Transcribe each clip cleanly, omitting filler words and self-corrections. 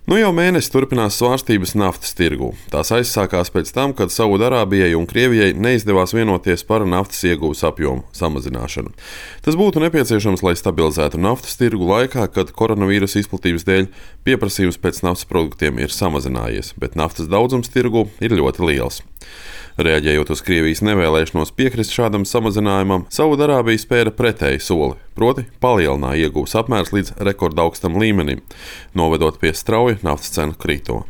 Nu jau mēnesi turpinās svārstības naftas tirgū. Tās aizsākās pēc tam, kad Saūdārābijai un Krievijai neizdevās vienoties par naftas ieguves apjomu samazināšanu. Tas būtu nepieciešams, lai stabilizētu naftas tirgu laikā, kad koronavīrusa izplatības dēļ pieprasījums pēc naftas produktiem ir samazinājies, bet naftas daudzums tirgū ir ļoti liels. Reaģējot uz Krievijas nevēlēšanos piekrist šādam samazinājumam, Saūdārābija spēra pretēju soli, proti palielināja ieguves apmērs līdz rekordaugstam līmenim, novedot pie strauja naftas cenu krituma.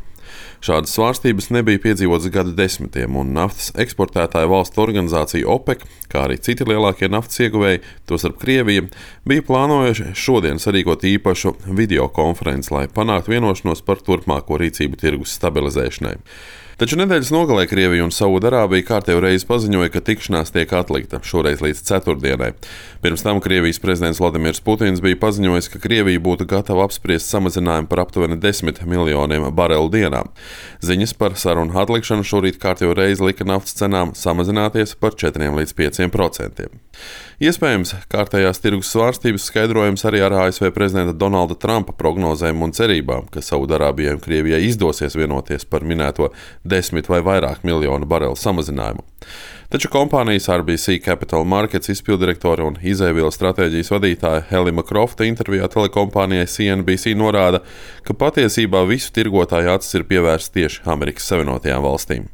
Šādas svārstības nebija piedzīvotas gadu desmitiem, un naftas eksportētāju valstu organizācija OPEC, kā arī citi lieelākie naftas ieguvēji, tostarp Krievija, bija plānojuši šodien sarīkot īpašu videokonferenci, lai panāktu vienošanos par turpmāko rīcību tirgus stabilizēšanai. Taču nedēļas nogalē Krievija un Saūdārābija kārtējo reizi paziņoja, ka tikšanās tiek atlikta, šoreiz līdz ceturtdienai. Pirms tam Krievijas prezidents Vladimirs Putins bija paziņojis, ka Krievija būtu gatava apspriest samazinājumu par aptuveni 10 miljoniem barelu dienā. Ziņas par sarunu atlikšanu šorīt kārtējo reizi lika naftas cenām samazināties par 4 līdz 5%. Iespējams, kārtējās tirgus svārstības skaidrojams arī ar ASV prezidenta Donalda Trumpa prognozēm un cerībām, ka Saūdārābijai un Krievijai izdosies vienoties par minēto 10 vai vairāk miljonu barelu samazinājumu. Taču kompānijas RBC Capital Markets izpildirektore un izēvielu stratēģijas vadītāja Helima Krofta intervijā telekompānijai CNBC norāda, ka patiesībā visu tirgotāju acis ir pievērsts tieši Amerikas Savienotajām valstīm.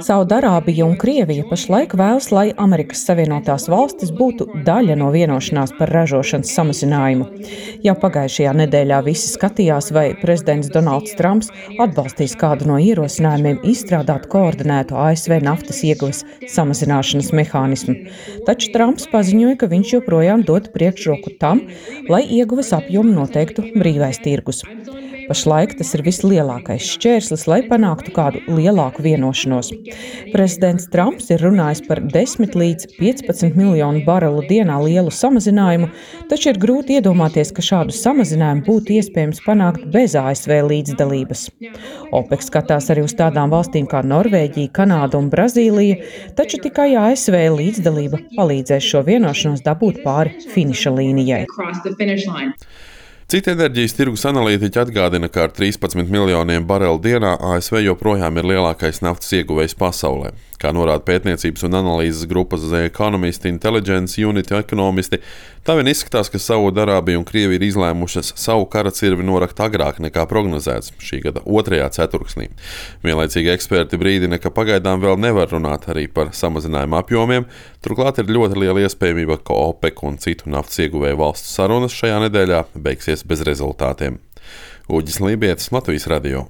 Saūdārābija un Krievija pašlaik vēlas, lai Amerikas Savienotās valstis būtu daļa no vienošanās par ražošanas samazinājumu. Jau pagājušajā nedēļā visi skatījās, vai prezidents Donalds Trumps atbalstīs kādu no ierosinājumiem izstrādāt koordinētu ASV naftas ieguves samazināšanas mehānismu. Taču Trumps paziņoja, ka viņš joprojām dod priekšroku tam, lai ieguves apjomu noteiktu brīvais tirgus. Pašlaik tas ir vislielākais šķērslis, lai panāktu kādu lielāku vienošanos. Prezidents Trumps ir runājis par 10 līdz 15 miljonu barelu dienā lielu samazinājumu, taču ir grūti iedomāties, ka šādu samazinājumu būtu iespējams panākt bez ASV līdzdalības. OPEC skatās arī uz tādām valstīm kā Norvēģija, Kanāda un Brazīlija, taču tikai ASV līdzdalība palīdzēs šo vienošanos dabūt pāri finiša līnijai. Citi enerģijas tirgus analītiķi atgādina, ka ar 13 miljoniem barelu dienā ASV joprojām ir lielākais naftas ieguvējs pasaulē. Kā norāda pētniecības un analīzes grupas The Economist Intelligence Unit ekonomisti, tā vien izskatās, ka Saūdārābija un Krievija ir izlēmušas savu kara cirvi norakt agrāk nekā prognozēts šī gada 2. ceturksnī. Vienlaicīgi eksperti brīdina, ka pagaidām vēl nevar runāt arī par samazinājumu apjomiem, turklāt ir ļoti liela iespējamība, ka OPEC un citu naftas ieguvēju valstu sarunas šajā nedēļā beigsies bez rezultātiem. Uģis Lībietis, Latvijas radio.